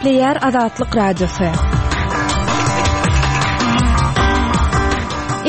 Gepleýär Azatlyk Radiosy.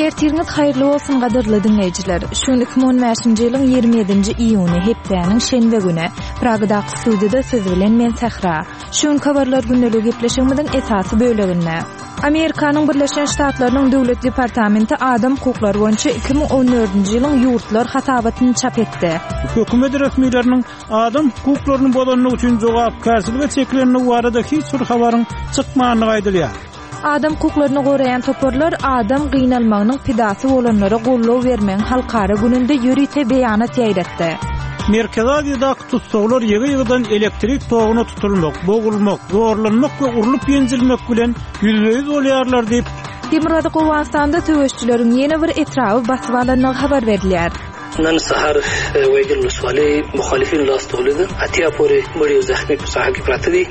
Ertiriňiz haýyrly bolsun gadyrly diňleýjiler. Şu gün 2015-nji ýylyň 27-nji iýuny, hepdäniň şenbe güni. Pragadaky studiýada siz bilen men Sähra. Şu günki habarlar gündeligi gepleşigimiziň esasy böleginde. Amerikanyň Birleşen Ştatlarynyň Döwlet departamenti adam hukuklary boýunça 2014-nji ýylyň ýurtlar hasabatyny çap etdi. Hökümet resmileriniň adam hukuklaryny bozandygy üçin jogapkärçilige çekilendigi barada hiç bir habaryň çykmandygy aýdylýar. Adam hukuklaryny goraýan toparlar adam gynalmagynyň pidasy bolanlara goldaw bermegiň halkara gününde ýörite beýanat ýaýratdy. Merkezi Aziýadaky tussaglar ýygy-ýygydan elektrik toguna tutulmak, bogulmak, zorlanmak we urlup-ýenjilmek bilen ýüzbe-ýüz bolýarlar diýip, Demirgazyk Owganystanda söweşijileriň ýene bir etraby basyp alandygy habar berilýär. نن سهار ویګل ولسوالۍ مخالفینو لاس ته ولید اتیا پورې مړي او زخمي په ساحه کې پراته دي.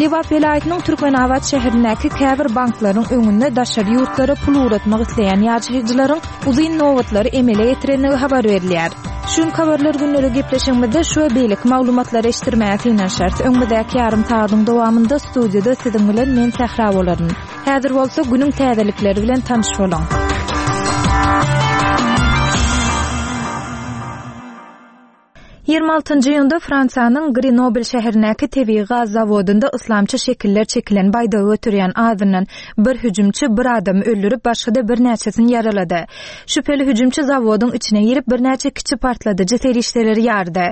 Lebap welaýatynyň Türkmenabat şäherindäki käbir banklaryň öňünde daşary ýurtlara pul ugratmak isleýän ýaşaýjylaryň uzyn nobatlary emele getirendigi habar berilýär. Şu günki Habarlar günlügi gepleşigimizde şu we beýleki maglumatlary eşitdirmäge synanyşarys. Öňümizdäki ýarym sagadyň dowamynda studiýada siziň bilen men Sähra bolaryn. Häzir bolsa günüň täzelikleri bilen tanyş boluň. 26-njy iýunda Fransiýanyň Grenobl şäherindäki tebigy gaz zawodynda yslamçy şekiller çekilen baýdagy göterýän azyndan bir hüjümçi bir adamy öldürip, başga-da birnäçesini ýaralady. Şübheli hüjümçi zawodyň içine girip, birnäçe kiçi partladyjy serişdeleri ýardy.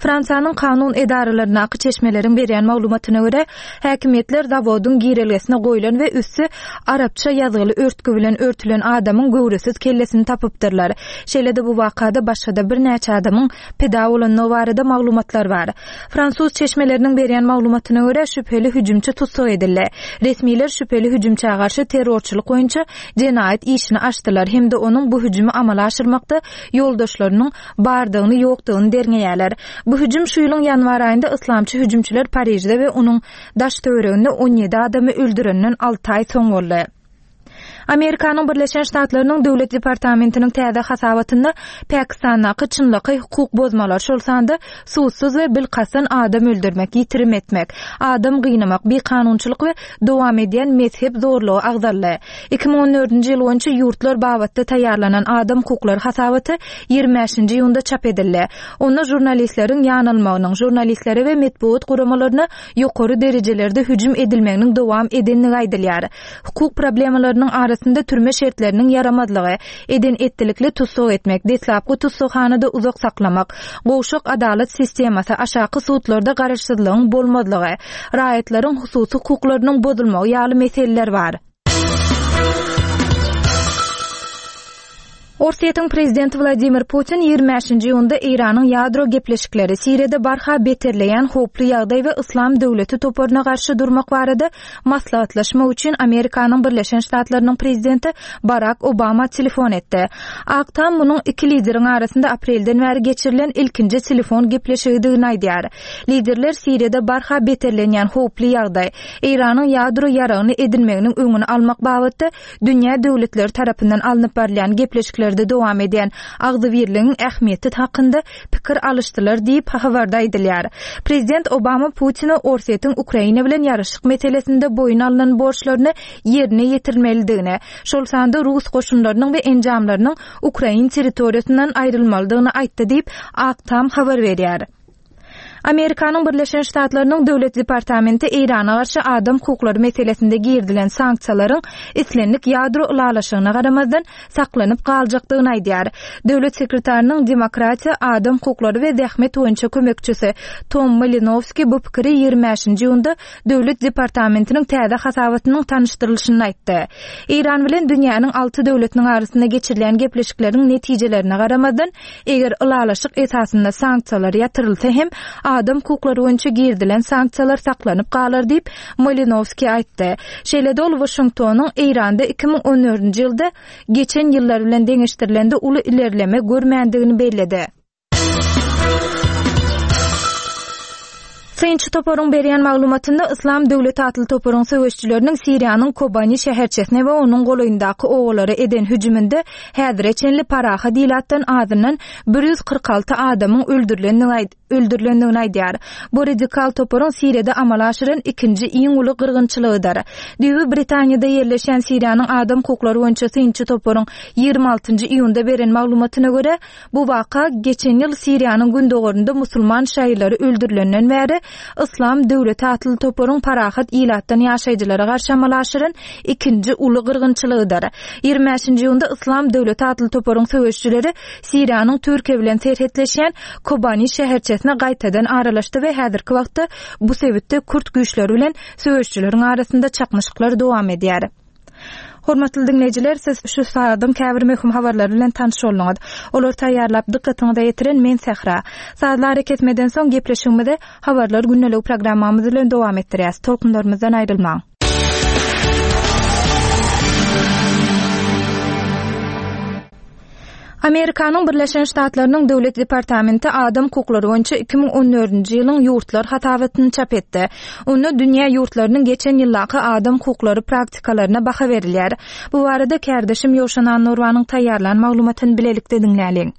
Fransiýanyň kanun edaralaryndaky çeşmeleriň berýän maglumatyna görä, Häkimiýetler zawodyň girelgesine goýlan we üsti arapça ýazgyly örtgi bilen örtülen adamyň göwresiz kellesini tapypdyrlar. Şeýle-de bu wakada başga-da birnäçe adamyň pida bolandygy barada maglumatlar bar. Fransuz çeşmeleriniň berýän maglumatyna görä, şübheli hüjümçi tussag edildi. Resmiler şübheli hüjümçä garşy terrorçylyk boýunça jenaýat işini açdylar hem-de onuň bu hüjümi amala aşyrmakda ýoldaşlarynyň bardygyny-ýokdugyny derňeýärler. Bu hüjüm şu ýylyň ýanwar aýynda yslamçy hüjümçiler Parižde we onuň daş-töwereginde 17 adamy öldürenden alty aý soň boldy. Amerikanyň Birleşen Ştatlarynyň Döwlet departamentiniň täze hasabatynda Pakistandaky çynlakaý hukuk bozmalar, şol sanda sudsuz we bilkastdan adam öldürmek, ýitirim etmek, adam gynamak, bikanunçylyk we dowam edýän mezhep zorlugy agzaldy. 2014-nji ýyl boýunça ýurtlar babatda taýýarlanan adam hukuklary hasabaty 25-nji iýunda çap edildi. Onda žurnalistleriň ýanalmagynyň, žurnalistlere we metbugat guramalaryna ýokary derejelerde hüjüm edilmeginiň dowam edendigi aýdylýar. Hukuk problemalarynyň arasynda türme şertleriniň ýaramazlygy, eden-etdilikli tussag etmek, deslapky tussaghanada uzak saklamak, gowşak adalat sistemasy, aşaky sudlarda garaşsyzlygyň bolmazlygy, raýatlaryň hususy hukuklarynyň bozulmagy ýaly meseleler bar. Orsýetiň prezidenti Wladimir Putin 25-nji iýunda Eýranyň ýadro gepleşikleri, Siriýada barha beterleýän howply ýagdaý we Yslam döwleti toparyna garşy durmak barada maslahatlaşmak üçin Amerikanyň Birleşen Ştatlarynyň prezidenti Barak Obama telefon etdi. Ak Tam munuň iki lideriň arasynda aprelden bäri geçirilen ilkinji telefon gepleşigidigini aýdýar. Liderler Siriýada barha beterlenýän howply ýagdaý, Eýranyň ýadro ýaragyny edinmeginiň öňüni almak babatda dünýä döwletleri tarapyndan alnyp barylýan gepleşiklerde dowam edýän agzybirligiň ähmiýeti hakynda pikir alyşdylar diýip, habarda aýdylýar. Prezident Obama Putine Orsýetiň Ukraina bilen ýaraşyk meselesinde boýun alnan borçlaryny ýerine ýetirmelidigini, şol sanda rus goşunlarynyň we enjamlarynyň ukrain territoriýasyndan aýrylmalydygyny aýtdy diýip, Ak Tam habar berýär. Amerikanyň Birleşen Ştatlarynyň Döwlet departamenti Eýrana garşy adam hukuklary meselesinde girizilen sanksiýalaryň islendik ýadro ylalaşygyna garamazdan saklanyp galjakdygyny aýdýar. Döwlet sekretarynyň demokratiýa, adam hukuklary we zähmet boýunça kömekçisi Tom Malinowski bu pikiri 25-nji iýunda Döwlet departamentiniň täze hasabatynyň tanyşdyrylyşynda aýtdy. Eýran bilen dünýäniň alty döwletiniň arasynda geçirilýän gepleşikleriň netijelerine garamazdan, Eger ylalaşyk esasynda sanksiýalar ýatyrylsa hem, adam hukuklary boýunça girizilen sanksiýalar saklanyp galar diýip, Malinowskiý aýtdy. Şeýle-de ol Waşingtonyň Eýranda 2014-nji ýylda geçen ýyllar bilen deňeşdirilende uly ilerleme görmändigini belledi. Synçy toparyň berýän maglumatynda Yslam döwleti atly toparyň söweşijileriniň Siriýanyň Kobani şäherçesine we onuň golaýyndaky obalara eden hüjüminde häzire çenli parahat ilatdan azyndan 146 adamyň öldürilendigi aýdylýar. öldürilendigini aýdýar. Bu radikal toparyň Siriýada amala aşyran ikinji iň uly gyrgynçylygydyr. Düýbi Britaniýada ýerleşýän Siriýanyň adam hukuklary boýunça synçy toparyň 26 iýunda beren maglumatyna görä, bu waka geçen ýyl Siriýanyň gündogarynda musulman şaýylary öldürilenden bäri Yslam döwleti atly toparyň parahat ilatdan ýaşaýjylara garşy amala aşyran ikinji uly gyrgynçylygydyr. 25 iýunda Yslam döwleti atly toparyň söweşijileri Siriýanyň Türkiýe bilen serhetleşýän Kobani şäherçesine gaýtadan aralaşdy we häzirki wagtda bu sebitde kürt güýçleri bilen söweşijileriň arasynda çaknyşyklar dowam edýär. Hormatly diňleýjiler, siz şu sagadyň käbir möhüm habarlary bilen tanyş bolduňyz. Olary taýýarlap dykgatyňyza ýetiren men Sähra. Sazly arakesmeden soň gepleşigimizi Habarlar gündeligi programmamyz bilen dowam etdirýäs. Tolkunlarymyzdan aýrylmaň. Amerikanyň Birleşen Ştatlarynyň Döwlet departamenti adam hukuklary boýunça 2014-nji ýylyň ýurtlar hasabatyny çap etdi. Onda dünýä ýurtlarynyň geçen ýyldaky adam hukuklary praktikalaryna baha berilýär. Bu barada kärdeşim Ýowşan Annurwanyň taýýarlan maglumatyny bilelikde diňläliň.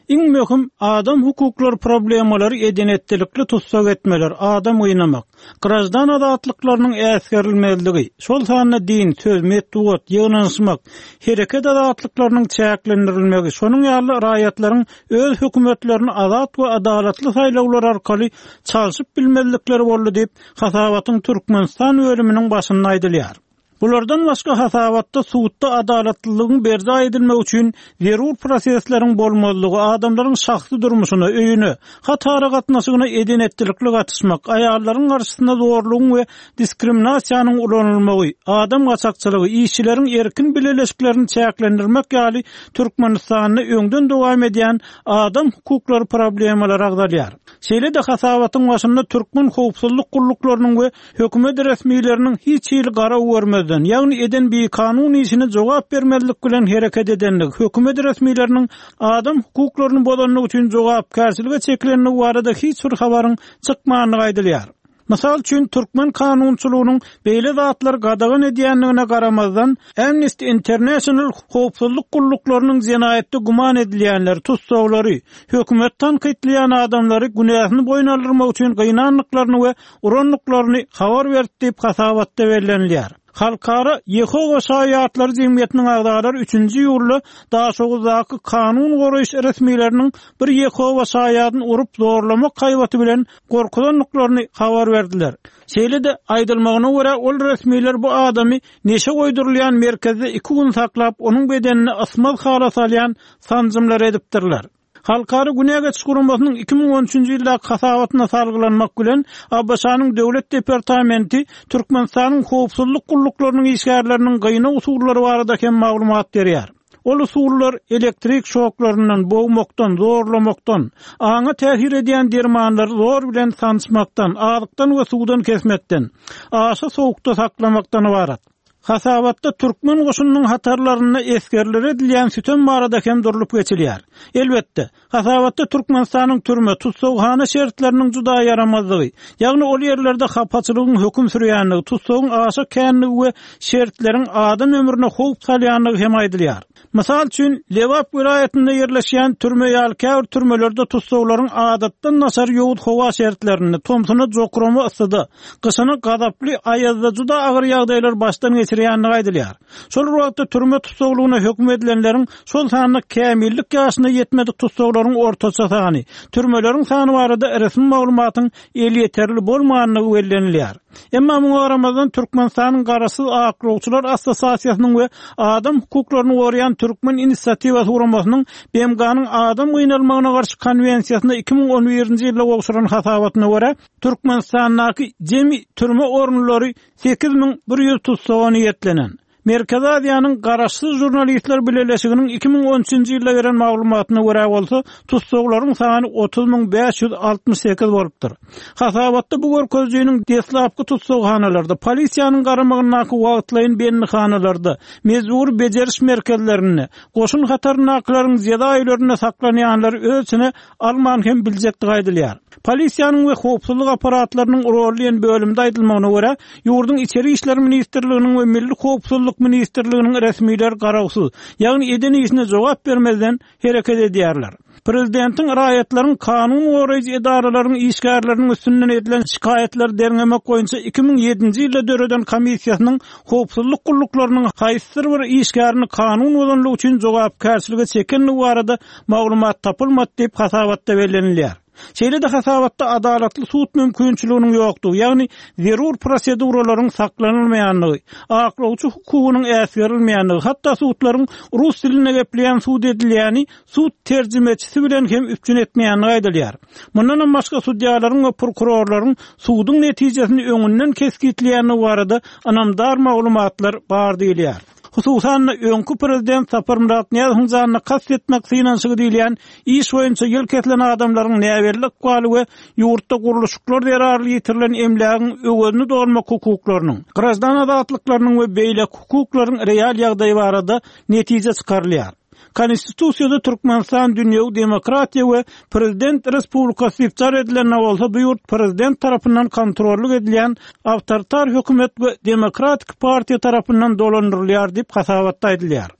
Iň möhüm adam hukuklary problemalary eden-etdilikli tussag etmeler, adam gynamak, graždan azatlyklarynyň äsgerilmezligi, şol sanda din, söz, metbugat, ýygnanyşmak, hereket azatlyklarynyň çäklendirilmegi, şonuň ýaly raýatlaryň öz hökümetlerini azat we adalatly saýlawlar arkaly çalşyp bilmezlikleri boldy diýip, hasabatyň Türkmenistan bölüminiň başynda aýdylýar. Bulardan başga hasabatda sudda adalatlylygyň berjaý edilmegi üçin zerur prosesleriň bolmazlygy, adamlaryň şahsy durmuşyna, öýüne, hat aragatnaşygyna eden-etdilikli gatyşmak, aýallaryň garşysyna zorlugyň we diskriminasiýanyň ulanylmagy, adam gaçakçylygy, işçileriň erkin bileleşiklerini çäklendirmek ýaly Türkmenistanda öňden dowam edýän adam hukuklary problemalary agzalýar. Şeýle-de hasabatyň başynda türkmen howpsuzlyk gulluklarynyň we Hökümet resmileriniň hiç hili garaw görmezden, ýagny eden bikanun işine jogap bermezlik bilen hereket edendigi, hökümet resmileriniň adam hukuklaryny bozandygy üçin jogapkärçilige çekilendigi barada hiç bir habaryň çykmandygy aýdylýar. Mysal üçin, türkmen kanunçylygynyň beýle zatlary gadagan edýändigine garamazdan, Amnesty International howpsuzlyk gulluklarynyň jenaýatda güman edilýänleri, tussaglary, hökümeti tankytlaýan adamlary günäsini boýun aldyrmak üçin gynandyklaryny we urandyklaryny habar berdi diýip, hasabatda bellenilýär. Halkara Ýehowa şaýatlary jemgyýetiniň agzalary üçünji iýulda Daşoguzdaky kanun goraýyş resmileriniň bir Ýehowa şaýadyny urup zorlamak haýbaty bilen gorkuzandyklaryny habar berdiler. Şeýle-de, aýdylmagyna görä, ol resmiler bu adamy neşe goýdurylýan merkezde iki gün saklap, onuň bedenine ysmaz hala salýan sanjymlary edipdirler. Halkara Günä geçiş guramasynyň 2013-nji ýyldaky hasabatyna salgylanmak bilen, ABŞ-nyň Döwlet departamenti Türkmenistanyň howpsuzlyk gulluklarynyň işgärleriniň gynag usullary barada hem maglumat berýär. Ol usullar elektrik şoklaryndan, bogmakdan, zorlamakdan, aňa täsir edýän dermanlary zor bilen sançmakdan, azykdan we suwdan kesmekden, aşa sowukda saklamakdan ybarat. Hasabatda türkmen goşunynyň hatarlarynda esgerlere edilýän sütem barada hem durlup geçilýär. Elbetde, hasabatda Türkmenistanyň türme, tussaghana şertleriniň juda ýaramazdygy, ýagny ol ýerlerde hapaçylygyň höküm sürýändigi, tussagyň aşa kändigi we şertleriň adam ömrüne howp salýandygy hem aýdylýar. Mysal üçin, Lebap welaýatynda ýerleşýän türme ýaly käbir türmelerde tussaglaryň adatdan daşary ýowuz howa şertlerinde, tomsuna jokrama yssyda, gyşyna gazaply aýazda juda agyr ýagdaýlary başdan geçirýändigi aýdylýar. Şol bir wagtda, türme tussaglygyna höküm edilenleriň, şol sanda kämillik ýaşyna ýetmedik tussaglaryň ortaça sany, türmeleriň sany barada resmi maglumatyň elýeterli bolmandygy bellenilýär. Emma muňa garamazdan, Türkmenistanyň Garaşsyz aklawçylar assosiasiýasynyň we adam hukuklaryny goraýan Türkmen inisiatiwasy guramasynyň BMG-niň adam gynalmagyna garşy konwensiýasyna 2011-nji ýylda gowşuran hasabatyna görä, Türkmenistandaky jemi türme orunlary 8100 tussaga niýetlenen. Merkezi Aziýanyň Garaşsyz žurnalistler bileleşiginiň 2013-nji ýylda beren maglumatyna görä bolsa, tussaglaryň sany 30 568 bolupdyr. Hasabatda bu görkezijiniň deslapky tussaghanalarda, polisiýanyň garamagyndaky wagtlaýyn bendihanalarda, mejbury bejeriş merkezlerinde, goşun hataryndakylaryň jeza öýlerinde saklanýanlary öz içine alman hem biljekdigi aýdylýar. Polisiýanyň we howpsuzlyk apparatlarynyň roly diýen bölümde aýdylmagyna görä, ýurduň Içeri işler ministrliginiň we Milli howpsuzlyk. Howpsuzlyk ministrliginiň resmileri garawsyz, ýagny eden işine jogap bermezden hereket edýärler. Prezidentiň raýatlaryň kanun goraýjy edaralaryň işgärleriniň üstünden edilen şikaýatlary derňemek boýunça 2007-nji ýylda döreden komissiýasynyň howpsuzlyk gulluklarynyň haýsydyr bir işgärini kanun bozanlygy üçin jogapkärçilige çekendigi barada maglumat tapylmady diýip, hasabatda bellenilýär. Şeýle-de hasabatda adalatly sud mümkinçiliginiň ýokdugy, ýagny zerur proseduralaryň saklanylmaýandygy, aklawçy hukugynyň äsgerilmeýändigi, hatda sudlaryň rus dilinde gepleýän sud edilýäni sud terjimeçisi bilen hem üpjün etmeýändigi aýdylýar. Mundanam başga sudýalaryň we prokurorlaryň suduň netijesini öňünden kesgitleýändigi barada ynamdar maglumatlar bar diýilýär. Hususan-da, öňki prezident Saparmyrat Nyýazowyň janyna kast etmek synanyşygy diýilýän iş boýunça ýyl kesilen adamlaryň näbelli ykbaly we ýurtda gurluşyklar zerarly ýitirilen emlägiň öwezini dolmak hukuklarynyň, graždan azatlyklarynyň we beýleki hukuklaryň real ýagdaýy barada netije çykarylýar. Konstitusiýada Türkmenistan dünýewi demokratiýa we prezident respublikasy diýip jar edilende bolsa bu ýurt prezident tarapyndan kontrollyk edilýän awtoritar hökümet we demokratik partiýa tarapyndan dolandyrylýar diýip hasabatda aýdylýar.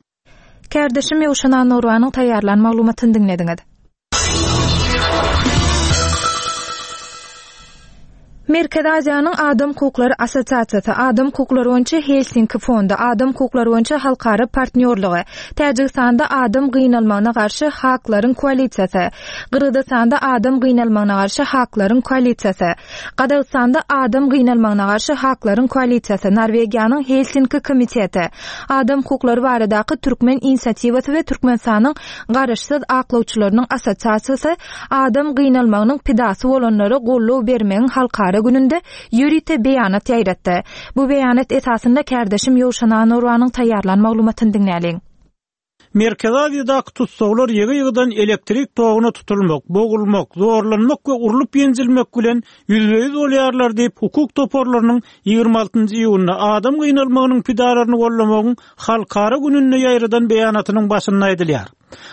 Kärdeşim Ýowşan Annagurbanyň taýýarlan maglumatyny diňlediňiz. Merkezi Aziýanyň Adam hukuklary assosiasiýasy, Adam hukuklary boýunça Helsinki fondy, Adam hukuklary boýunça halkara partnýorlygy, Täjigistanda adam gynalmagyna garşy Haklaryň koalisiýasy, Gyrgyzystanda adam gynalmagyna garşy Haklaryň koalisiýasy, Gazagystanda adam gynalmagyna garşy Haklaryň koalisiýasy, Norwegiýanyň Helsinki komiteti, Adam hukuklary baradaky türkmen inisiatiwasy we Türkmenistanyň Garaşsyz aklawçylarynyň assosiasiýasy adam gynalmagynyň pidasy bolanlara goldaw bermegiň halkara gününde ýörite beýanat ýaýratdy. Bu beýanat esasynda kärdeşim Ýowşan Anurwanyň taýýarlan maglumatyny diňläliň. Merkezi Aziýadaky tussaglar ýygy-ýygydan elektrik toguna tutulmak, bogulmak, zorlanmak we urlup-ýenjilmek bilen ýüzbe-ýüz bolýarlar diýip, hukuk toparlarynyň 26 iýunda adam gynalmagynyň pidalaryny goldamagyň halkara gününde ýaýradan beýanatynyň başynda aýdylýar.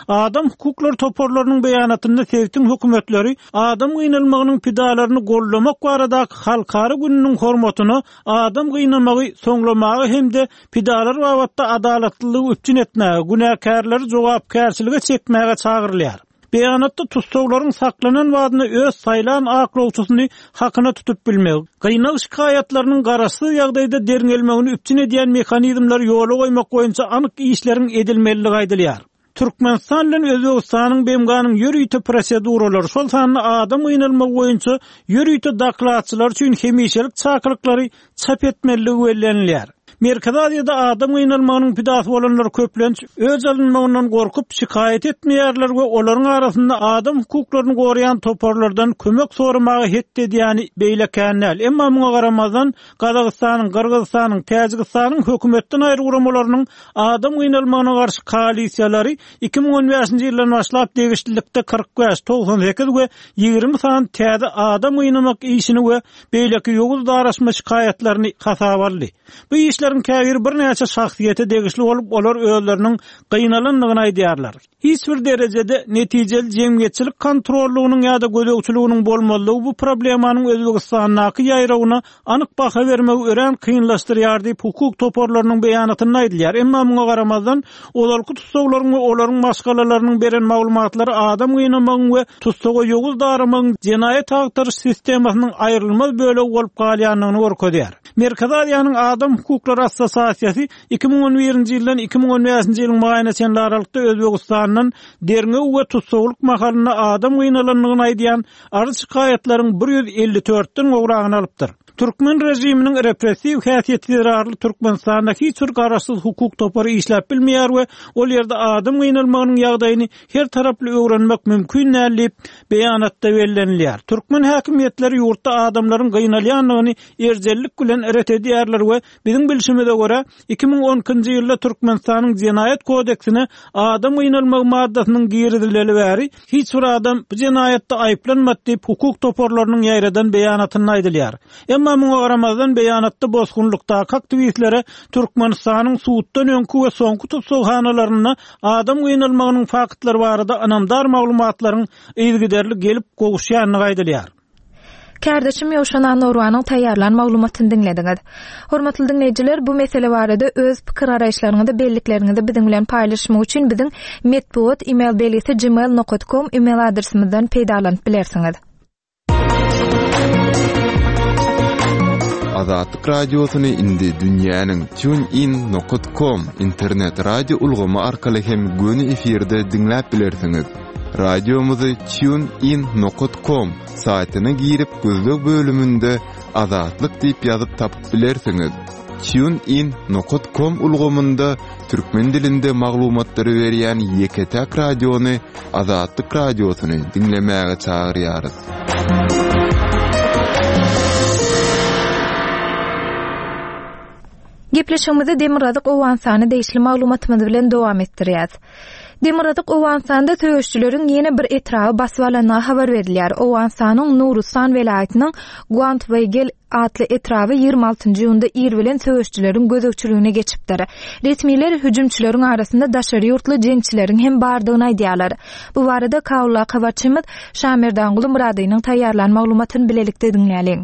Adam hukuklary toparlarynyň beýanatynda sebitiň hökümetleri adam gynalmagynyň pidalaryny goldamak baradaky halkara gününiň hormatyna adam gynamagy soňlamaga hem-de pidalar babatda adalatlylygy üpjün etmäge, günäkärleri jogapkärçilige çekmäge çagyrylýar. Beýanatda tussaglaryň saklanan badyna öz saýlan aklawçysyny hakyna tutup bilmegi, gynag şikaýatlarynyň garaşsyz ýagdaýda derňelmegini üpjün edýän mehanizmleri ýola goýmak boýunça anyk işleriň edilmelidigi aýdylýar. Türkmenistan bilen Özbegistanyň BMG-niň ýörite proseduralary, şol sanda adam gynalmagy boýunça ýörite dokladçylar üçin hemişelik çakylyklary çap etmelidigi bellenilýär. Merkezi Aziýada adam gynalmagynyň pidasy bolanlar köplenç öç alynmagyndan gorkup, şikaýat etmeýärler we olaryň arasynda adam hukuklaryny goraýan toparlardan kömek soramaga hetdi edýäni beýle kän däl. Emma muňa garamazdan, Gazagystanyň, Gyrgyzystanyň, Täjigistanyň hökümetden aýry guramalarynyň adam gynalmagyna garşy koalisiýalary 2015-nji ýyldan başlap degişlilikde 45, 98 we 20 sany täze adam gynamak işini we beýleki ýowuz daraşma şikaýatlaryny hasaba aldy. Bu işleriň käbiri birnäçe şahsyýete degişli bolup, olar özleriniň gynalandygyny aýdýarlar. Hiç bir derejede netijeli jemgyýetçilik kontrollygynyň ýa-da gözegçiliginiň bolmazlygy bu problemanyň Özbegistandaky ýaýrawyna anyk baha bermegi örän kynlaşdyrýar diýip, hukuk toparlarynyň beýanatynda aýdylýar. Emma muňa garamazdan, ozalky tussaglaryň we olaryň maşgalalarynyň beren maglumatlary adam gynamagyň we tussaga ýowuz daramagyň jenaýat agtaryş sistemasynyň aýrylmaz bölegi bolup galýandygyny görkezýär. Merkezi Aziýanyň Adam hukuklary assosiasiýasy 2011-nji ýyldan 2015-nji ýylyň maýyna çenli aralykda Özbegistandan derňew we tussaglyk mahalynda adam gynalandygyny aýdýan arz-şikaýatlaryň bir 154-den gowragyny alypdyr. Türkmen režiminiň repressiw häsiýeti zerarly Türkmenistanda hiç bir garaşsyz hukuk topary işläp bilmeýär we ol ýerde adam gynalmagynyň ýagdaýyny her taraply öwrenmek mümkin däl diýip, beýanatda bellenilýär. Türkmen häkimiýetleri ýurtda adamlaryň gynalýandygyny erjellik bilen ret edýärler we biziň bilşimize görä, 2012-nji ýylda Türkmenistanyň Jenaýat kodeksine adam gynalmagy maddasynyň girizileli bäri hiç bir adam bu jenaýatda aýyplanmady diýip, hukuk toparlarynyň ýaýradan beýanatynda aýdylýar. Emma muňa garamazdan, beýanatda bosgunlykdaky aktiwistlere Türkmenistanyň suddan öňki we soňky tussaghanalarynda adam gynalmagynyň faktlary barada ynamdar maglumatlaryň yzygiderli gelip gowuşýandygy aýdylýar. Kärdeşim Ýowşan Annagurbanyň taýýarlan maglumatyny diňlediňiz. Hormatly diňleýjiler, bu mesele barada öz pikir-garaýyşlaryňyzy, bellikleriňizi biziň bilen paýlaşmak üçin biziň metbugat email belgisi gmail nokat kom email adresimizden peýdalanyp bilersiňiz. Azatlyk Radiosyny indi dünýäniň TuneIn nokat kom internet radio ulgamy arkaly hem göni efirde diňläp bilersiňiz. Radiomyzy TuneIn nokat kom saýtyna girip gözleg bölüminde Azatlyk diýip ýazyp tapyp bilersiňiz. TuneIn nokat kom ulgamynda türkmen dilinde maglumatlary berýän ýeke-täk radiony Azatlyk Radiosyny diňlemäge çagyrýarys. Gepleşigimizi Demirgazyk Owganystana degişli maglumatymyz bilen dowam etdirýäs. Demirgazyk Owganystanda söweşijileriň ýene bir etraby basyp alandygy habar berilýär. Owganystanyň Nurustan welaýatynyň Guantweýgel atly etraby 26 iýunda ir bilen söweşijileriň gözegçiligine geçipdir. Resmiler hüjümçileriň arasynda daşary ýurtly jeňçileriň hem bardygyny aýdýarlar. Bu barada Kabuldaky habarçymyz Şamerdanguly Myradynyň taýýarlan maglumatyny bilelikde diňläliň.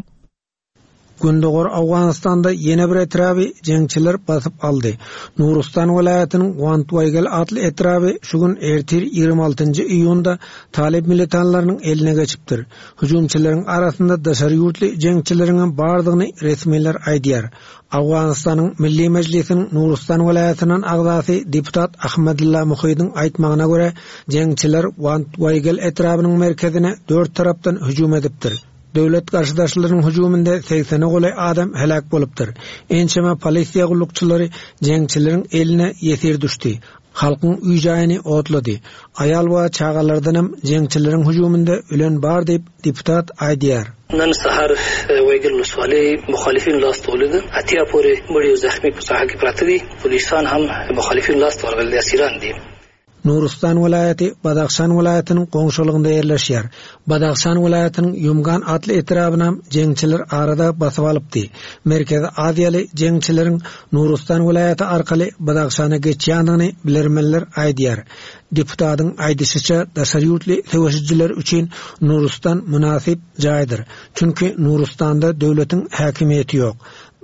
Gündogar Owganystanda ýene bir etraby jeňçiler basyp aldy. Nurustan welaýatynyň Wantwaýgel atly etraby şu gün ertir 26 iýunda talyp militanlarynyň eline geçipdir. Hüjümçileriň arasynda daşary ýurtly jeňçileriňem bardygyny resmiler aýdýar. Owganystanyň Milli Mejlisiniň Nurustan welaýatyndan agzasy deputat Ahmadylla Muhydyň aýtmagyna görä, jeňçiler Wantwaýgel etrabynyň merkezine dört tarapdan hüjüm edipdir. Döwlet garşydaşlarynyň hüjüminde segsene golaý adam heläk bolupdyr. Ençeme polisiýa gullukçylary jeňçileriň eline ýesir düşdi. Halkyň öý-jaýyny otlady. Aýal we çagalardanam jeňçileriň hüjüminde ölen bar diýip, deputat aýdýar. نن سهار ویګل ولسوالۍ مخالفینو لاس ته ولوېده، 80 پورې مړي او زخمي په ساحه کې پراته دي، پولیسان هم د مخالفینو لاس ته ورغلي دي، اسیران دي. Nurustan welaýaty Badahşan welaýatynyň goňşulygynda ýerleşýär. Badahşan welaýatynyň Ýumgan atly etrabynam jeňçiler arada basyp alypdy. Merkezi aziýaly jeňçileriň Nurustan welaýaty arkaly Badahşana geçýändigini bilermenler aýdýar. Deputatyň aýdyşyça, daşary ýurtly söweşijiler üçin Nurustan mynasyp jaýdyr. Çünki Nurustanda döwletiň häkimiýeti ýok.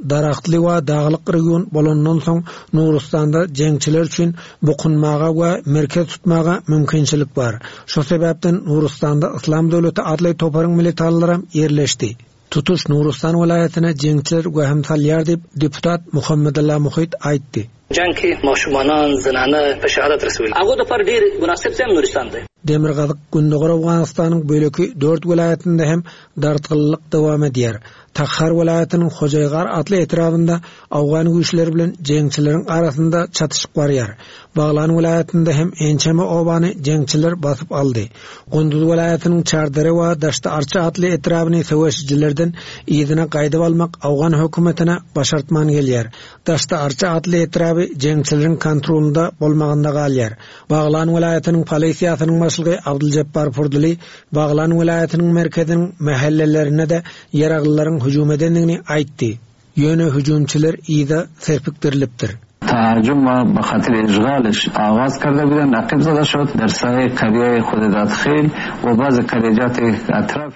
Daragtly we daglyk region bolandan soň Nurustanda jeňçiler üçin bukunmaga we merkez tutmaga mümkinçilik bar. Şo sebäpden Nurustanda Yslam döwleti atly toparyň militanlaram ýerleşdi. Tutuş Nurustan welaýatyna jeňçiler wehim salýar diýip, deputat Muhammedulla Muhyt aýtdy. جنګ کې ماشومانان، زنانه په شهادت رسولي هغو دپاره ډېر مناسب ځای هم نورستان دی. Demirgazyk Gündogar Owganystanyň böleki dört welaýatynda hem dartgynlylyk dowam edýär. Takhar welaýatynyň Hojaýgar atly etrabynda owgan güýçleri bilen jeňçileriň arasynda çatyşyk barýar. Baglan welaýatynda hem ençeme obany jeňçiler basyp aldy. Gunduz welaýatynyň Çardere we Daşty-Arça atly etrabyny söweşijilerden yzyna gaýdyp almak owgan hökümetine başartman gelýär. Daşty-Arça atly etraby jeňçileriň kontrolynda bolmagynda galýar. Baglan welaýatynyň polisiýasynyň başlygy Abdyljepbar Purdyly Baglan welaýatynyň merkeziniň mähellelerine-de ýaraglylaryň hüjüm edendigini aýtdy. Ýöne hüjümçiler yza serpikdirilipdir. تهاجم به خاطر اشغالش آغاز کرده بودند عقب زده شد در ساحه قریه خودداد خیل و بعض قریجات اطراف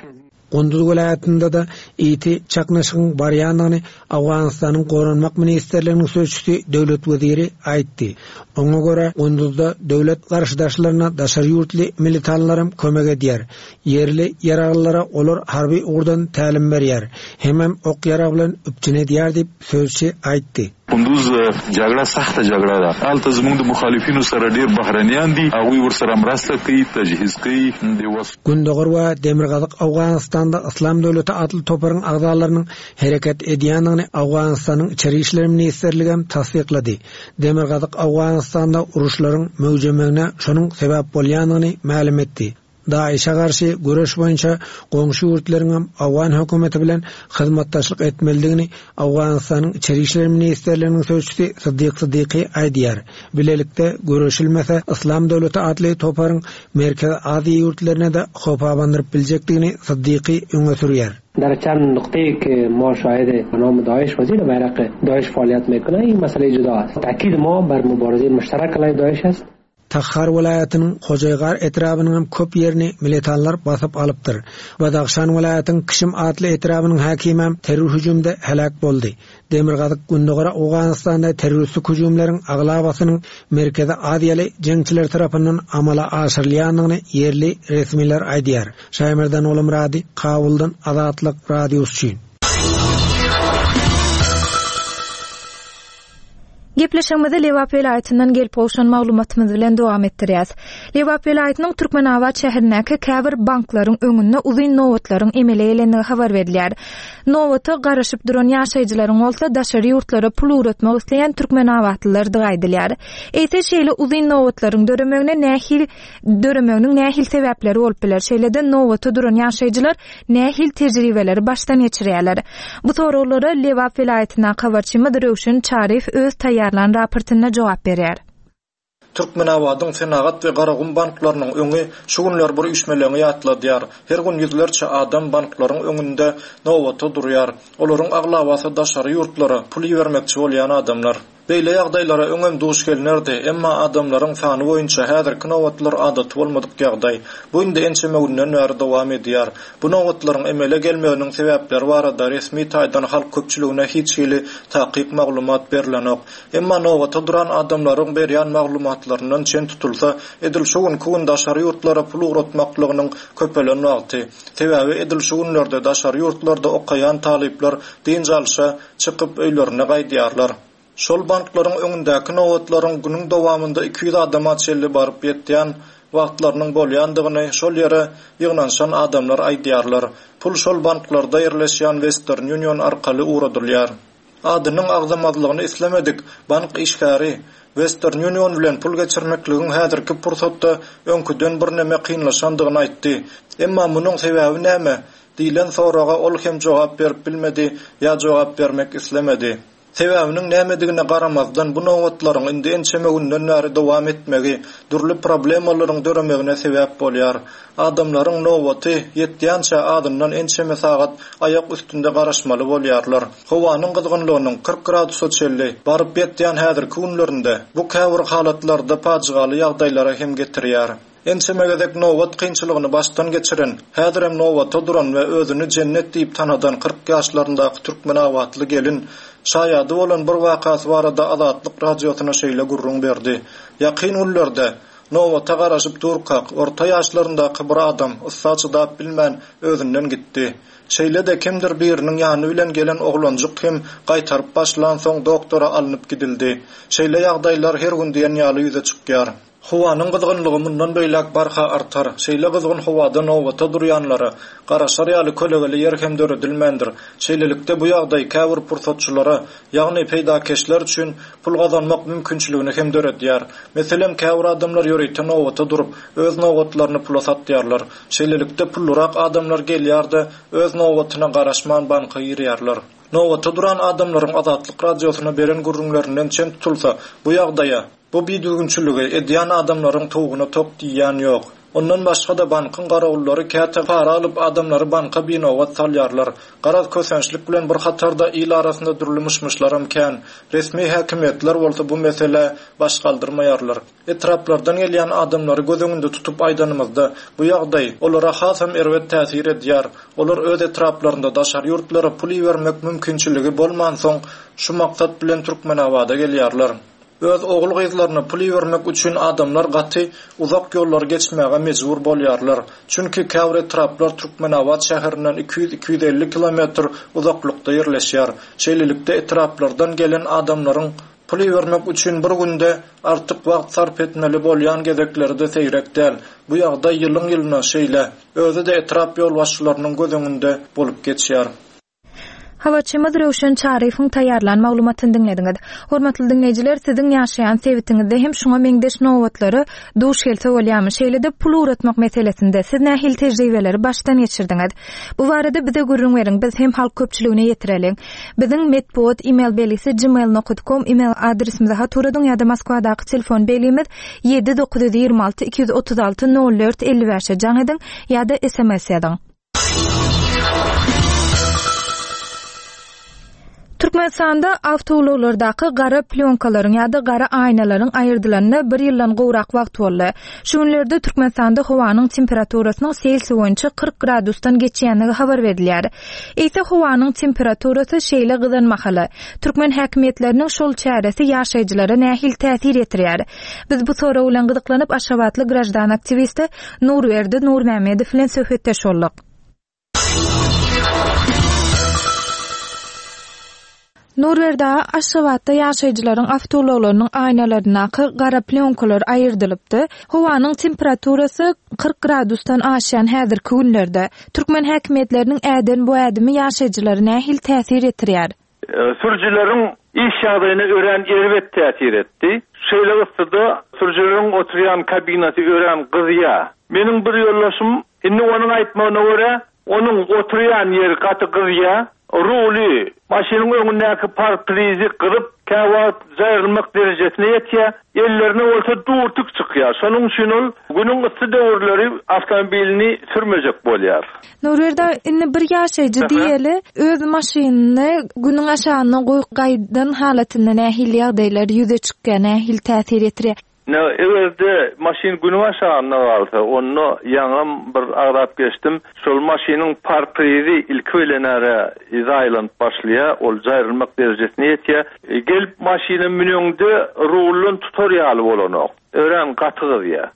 Gunduz welaýatynda-da ýiti çaknyşygyň barýandygyny Owganystanyň Goranmak ministrliginiň sözçüsi Döwlet Weziri aýtdy. Oňa görä, Gunduzda döwlet garşydaşlaryna daşary ýurtly militanlaram kömek edýär. Ýerli ýaraglylara olar harby ugurdan tälim berýär, hemem ok-ýarag bilen üpjün edýär diýip, sözçi aýtdy. کندوز جګړه سخته جګړه ده هلته زموږ د مخالفینو سره ډیر بهرنیان دي هغوی ورسره مرسته کوي تجهیز کوي د وس. Gündogar we Demirgazyk Owganystanda Yslam döwleti atly toparyň agzalarynyň hereket edýändigini Owganystanyň Içeri işler ministrligem tassyklady. Demirgazyk Owganystanda uruşlaryň möwjemegine şonuň sebäp bolýandygyny mälim etdi. DAIŞ-e garşy göreş boýunça goňşy ýurtlaryňam owgan hökümeti bilen hyzmatdaşlyk etmelidigini Owganystanyň Içeri işler ministrliginiň sözçüsi Syddyk Syddyky aýdýar. Bilelikde göreşilmese, Yslam döwleti atly toparyň Merkezi Aziýa ýurtlaryna-da howp abandyryp biljekdigini Syddyky öňe sürýär. در چند نقطه که ما شاهد به نام داعش و زیر بیرق داعش فعالیت میکنه این مسئله جدا است تاکید ما بر مبارزه مشترک علیه داعش است. Takhar welaýatynyň Hojaýgar etrabynyň hem köp ýerini militanlar basyp alypdyr. Badahşan welaýatyň Kişim atly etrabynyň häkimem terror hüjümde heläk boldy. Demirgazyk-Gündogar Owganystanda terroristik hüjümleriň aglabasynyň Merkezi Aziýaly jeňçiler tarapyndan amala aşyrylýandygyny ýerli resmiler aýdýar. Şaýmerdan Olamyrady, Kabuldan Azatlyk Radiosy üçin. Gepleşigimizi Lebap welaýatyndan gelip gowşan maglumatymyz bilen dowam etdirýäs. Lebap welaýatynyň Türkmenabat şäherindäki käbir banklaryň öňünde uzyn nobatlaryň emele gelendigi habar berilýär. Nobata garaşyp duran ýaşaýjylaryň bolsa daşary ýurtlara pul ugratmak isleýän türkmenabatlylardygy aýdylýar. Eýse şeýle uzyn nobatlaryň döremegine nähili döremeginiň nähili sebäpleri bolup biler? Şeýle-de nobata duran ýaşaýjylar nähili tejribeleri başdan geçirýärler? Bu soraglara Lebap welaýatyndaky habarçymyz Röwşen Çaryýew öz taýýarlan raportynda jogap berýär. Türkmenabadyň Senagat we Garagum banklarynyň öňi şu günler bir üýşmeleňi ýatladýar. Her gün ýüzlerçe adam banklaryň öňünde nobata durýar. Olaryň aglabasy daşary ýurtlara pul ibermekçi bolýan adamlar. Beýle ýagdaýlara öňem duş gelnerdi, emma adamlaryň sany boýunça häzirki nobatlar adaty bolmadyk ýagdaý. Bu indi ençeme günden bäri dowam edýär. Bu nobatlaryň emele gelmeginiň sebäpleri barada resmi taýdan halk köpçüligine hiç hili takyk maglumat berlenok. Emma nobata duran adamlaryň berýän maglumatlaryndan çen tutulsa, edil şu günki gün daşary ýurtlara pul ugratmaklygynyň köpelen wagty. Sebäbi edil şu günlerde daşary ýurtlarda okaýan talyplar dynç alşa çykyp öýlerine gaýdýarlar. Şol banklaryň öňündäki nobatlaryň günüň dowamynda 200 adama çenli baryp ýetýän wagtlarynyň bolýandygyny şol ýere ýygnanyşan adamlar aýdýarlar. Pul şol banklarda ýerleşýän Western Union arkaly ugradylýar. Adynyň agzamazlygyny islemedik bank işgäri Western Union bilen pul geçirmekligiň häzirki pursatda öňküden birneme kynlaşandygyny aýtdy. Emma munuň sebäbi näme? Diýlen soraga ol hem jogap berip bilmedi ýa jogap bermek islemedi. Sebäbiniň nämedigine garamazdan bu nobatlaryň indi ençeme günden bäri dowam etmegi dürli problemalaryň döremegine sebäp bolýar. Adamlaryň nobaty ýetýänçä azyndan ençeme sagat aýak üstünde garaşmaly bolýarlar. Howanyň gyzgynlygynyň 40 gradusa çenli baryp ýetýän häzirki günlerinde bu käbir halatlarda pajygaly ýagdaýlara hem getirýär. Ençeme gezek nobat kynçylygyny başdan geçiren, häzirem nobata duran we özüni Jennet diýip tanadan 40 ýaşlaryndaky türkmenabatly gelin şaýady bolan bir wakasy barada Azatlyk Radiosyna şeýle gürrüň berdi, Ýakyn günlerde, nobata garaşyp durkak, orta ýaşlaryndaky bir adam yssa çydap bilmän, özünden gitdi. Şeýle-de kimdir biriniň ýany bilen gelen oglanjyk hem gaýtaryp başlansoň doktora alnyp gidildi. Şeýle ýagdaýlar her gün diýen ýaly ýüze çykýar. Howanyň gyzgynlygy mundan beýläk barha artar. Şeýle gyzgyn howada nobata durýanlara garaşar ýaly kölegeli ýer hem döredilmändir. Şeýlelikde, bu ýagdaý käbir pursatçylara, ýagny peýdakeşler üçin pul gazanmak mümkinçiligini hem döredýär. Meselem, käbir adamlar ýörite nobata durup, öz nobatlaryny pula satýarlar. Şeýlelikde, pullurak adamlar gelýär-de, öz nobatyna garaşman banka girýärler. Nobata duran adamlaryň Azatlyk Radiosyna beren gürrüňlerinden çen tutulsa, bu ýagdaýa, Bu bidüzgünçiligi edýän adamlaryň towugyna tok diýýän ýok. Ondan başga-da bankyň garawullary käte para alyp adamlary banka binobat salýarlar. Garaz kösençlik bilen bir hatarda il arasynda dürli myş-myşlaram kän. Resmi häkimiýetler bolsa bu meselä baş galdyrmaýarlar. Etraplardan gelýän adamlary göz öňünde tutup aýdanymyzda, bu ýagdaý olara hasam erbet täsir edýär. Olar öz etraplarynda daşary ýurtlara pul ibermek mümkinçiligi bolmansoň şu maksat bilen Türkmenabada gelýärler. Öz ogul-gyzlaryna pul ibermek üçin adamlar gaty uzak ýollary geçmäge mejbur bolýarlar. Çünki käbir etraplar Türkmenabat şäherinden 200-250 kilometr uzaklykda ýerleşýär. Şeýlelikde, etraplardan gelen adamlaryň pul ibermek üçin bir günde artyk wagt sarp etmeli bolýan gezekleri-de seýrek däl. Bu ýagdaý ýylyň-ýylyna şeýle. Özi-de etrap ýolbaşçylarynyň göz öňünde bolup geçýär. Habarçymyz Röwşen Çaryýewiň taýýarlan maglumatyny diňlediňiz. Hormatly diňleýjiler, siziň ýaşaýan sebitiňizde hem şuňa meňzeş nobatlara duş gelse bolýarmy? Şeýle-de pul ugratmak meselesinde siz nähili tejribeleri başdan geçirdiňiz? Bu barada bize gürrüň beriň, biz hem halk köpçüligine ýetireliň. Biziň metbugat email belgisi gmail nokat kom email adresimize hat ugradyň ýa-da Moskwadaky telefon belgimiz 7 926 236 04 55-e jaň ediň ýa-da sms ýazyň. Türkmenistanda awtoulaglardaky gara plýonkalaryň ýa-da gara aýnalaryň aýyrdylanyna bir ýyldan gowrak wagt boldy. Şu günlerde Türkmenistanda howanyň temperaturasynyň Selsiý boýunça 40 gradusdan geçýändigi habar berilýär. Eýse howanyň temperaturasy şeýle gyzan mahaly, türkmen häkimiýetleriniň şol çäresi ýaşaýjylara nähili täsir ýetirýär? Biz bu sorag bilen gyzyklanyp, aşgabatly graždan aktiwisti Nurberdi Nurmämmedow bilen söhbetdeş bolduk. Nurberdi aga, Aşgabatda ýaşaýjylaryň awtoulaglarynyň aýnalaryndaky gara plýonkalar aýyrdylypdy. Howanyň temperaturasy 40 gradusdan aşýan häzirki günlerde, türkmen häkimiýetleriniň äden bu ädimi ýaşaýjylara nähili täsir ýetirýär? Sürüjileriň iş ýagdaýyna örän erbet täsir etdi. Şeýle yssyda sürüjileriň oturýan kabinasy örän gyzýar. Meniň bir ýoldaşym, indi onuň aýtmagyna görä, onuň oturýan ýeri gaty gyzýar. Ruly, maşynyň öňündäki parprizi gyzyp, käwagt jaýrylmak derejesine ýetýär. Ellerine bolsa durtuk çykýar. Şonuň üçin ol günüň yssy döwürleri awtomobilini sürmejek bolýar. Nurberdi aga, indi bir ýaşaýjy diýeli, öz maşynyny günüň aşagynda goýup gaýdan halatynda nähili ýagdaýlar ýüze çykýar, nähili täsir ýetirýär? Ine, eger-de maşyn günüň aşagynda galsa, onda ýaňam bir agzap geçdim, şol maşynyň parprizi ilki bilen-ä zaýalanyp başlaýar, ol jaýrylmak derejesine ýetýär. Gelip maşyna müneňde ruldan tutar ýaly bolanok, örän gaty gyzýar.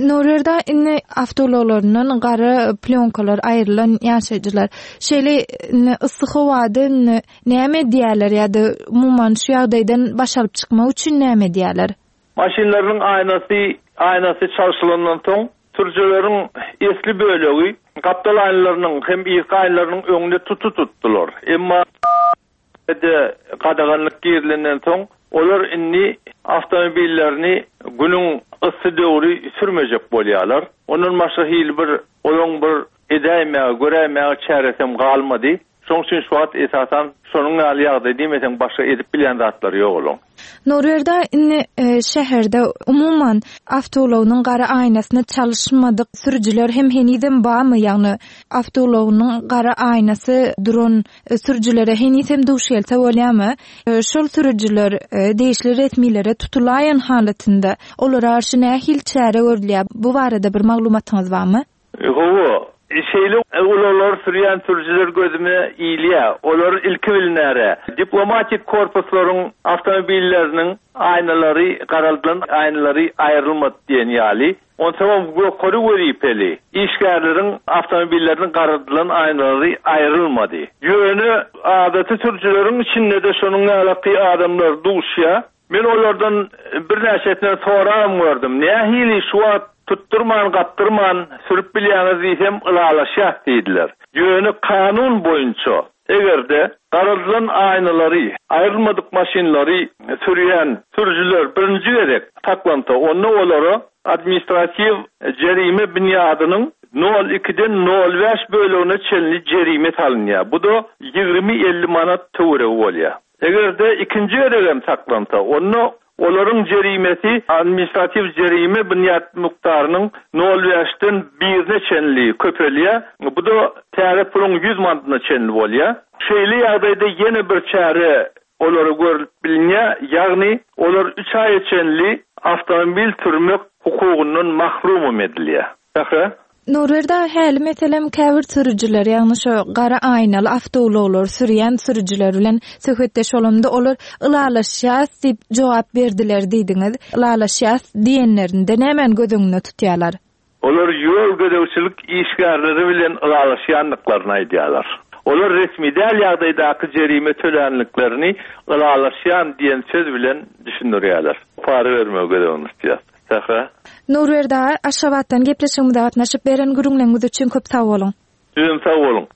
Nurberdi aga, indi awtoulaglaryndan gara plýonkalar aýrylan ýaşaýjylar şeýle indi yssy howada indi näme edýärler ýa-da umuman şu ýagdaýdan baş alyp çykmak üçin näme edýärler? Maşynlarynyň aýnasy aýnasy çalşylandan soň, sürüjileriň esli bölegi gapdal aýnalarynyň hem yzky aýnalarynyň öňünde tuty tutdular. Emma de gadaganlyk girizilenden soň, olar indi awtomobillerini günüň yssy döwri sürmejek bolýarlar. Ondan başga hili bir olaň bir edäýmäge, göräýmäge çäresem galmady. Şoň üçin şu wagt esasan şonuň ýaly ýagdaý diýmeseň başga edip bilýän zatlary ýok olaň. Nurberdi aga indi şäherde umuman awtoulagynyň gara aýnasyny çalyşmadyk sürüjiler hem henizem barmy ýagny awtoulagynyň gara aýnasy duran sürüjilere heniz hem duş gelse bolýarmy? Şol sürüjiler degişli resmilere tutulaýan halatynda olara garşy nähili çäre görülýär bu barada bir maglumatyňyz barmy? Hawa, şeýle ulaglary sürýän sürüjiler gözüme ilýär. Olar ilki bilinäre, diplomatik korpuslaryň awtomobilleriniň aýnalary garaldylan aýnalary aýrylmady diýen ýaly. Onsoňam ýokary wezipeli işgärleriň awtomobilleriniň garaldylan aýnalary aýrylmady. Ýöne adaty sürüjileriň içinde-de şonuň ýalaky adamlar duşýar. Men olardan birnäçesinden sorabam gördüm. Nähili şu wagt tutdurman, gapdyrman sürüp bilýäňiz diýsem, ylalaşýas diýdiler. Ýöne kanun boýunça, eger-de garaldylan aýnalary aýrylmadyk maşynlary sürýän sürüjiler birinji gezek saklansa, onda olara administratiw jerime binýadynyň nol ikiden nol bäş bölegine çenli jerime salynýar. Bu-da 20-50 manat töweregi bolýar. Eger-de ikinji gezegem saklansa, onda olaryň jerimesi administratiw jerime binýat mukdarynyň nol bäşden birine çenli köpelýär, bu-da täze puluň ýüz manadyna çenli bolýar. Şeýle ýagdaýda ýene bir çäre olara görlüp bilinýär, ýagny olar üç aýa çenli awtomobil sürmek hukugyndan mahrumam edilýär. Sähra. Nurberdi aga häli meselem käbir sürüjiler ýagny şo gara aýnaly awtoulaglary sürýän sürüjiler bilen söhbetdeş bolamda olar ylalaşýas diýip jogap berdiler diýdiňiz. Ylalaşýas diýenlerinde nämäni göz öňünde tutýarlar? Olar ýol gözegçilik işgärleri bilen ylalaşýandyklaryny aýdýarlar. Olar resmi däl ýagdaýdaky jerime tölänliklerini ylalaşýan diýen söz bilen düşündirýärler. Para bermegi göz öňünde tutýar. Sähra. Nurberdi aga, Aşgabatdan gepleşigimize gatnaşyp beren gürrüňleriňiz üçin köp sag boluň. Sizem sag boluň.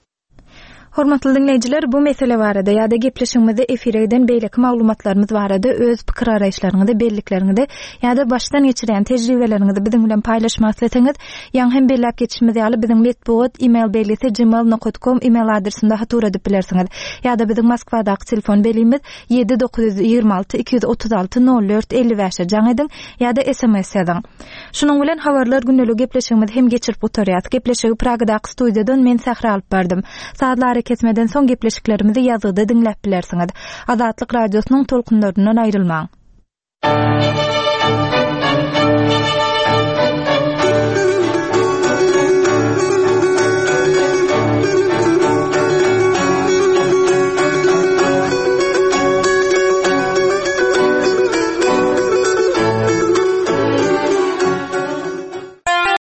Hormatly diňleýjiler, bu mesele barada ýa-da gepleşigimizde efire giden beýleki maglumatlarymyz barada öz pikir-garaýyşlaryňyzy, bellikleriňizi ýa-da başdan geçirýän tejribeleriňizi biziň bilen paýlaşmak isleseňiz, ýaňy hem belläp geçişimiz ýaly biziň metbugat e-mail belgisi gmail nokat kom e-mail adresinde hat ugradyp bilersiňiz. Ýa-da biziň Moskwadaky telefon belgimiz 7 926 236 04 55-e jaň ediň ýa-da sms ýazyň. Şunuň bilen Habarlar gündeligi gepleşigimizi hem geçirip gutarýas. Gepleşigi Pragadaky studiýadan men Sähra alyp bardym. Sazly ara. Arakesmeden soň gepleşiklerimizi ýazgyda diňläp bilersiňiz. Azatlyk Radiosynyň tolkunlaryndan aýrylmaň.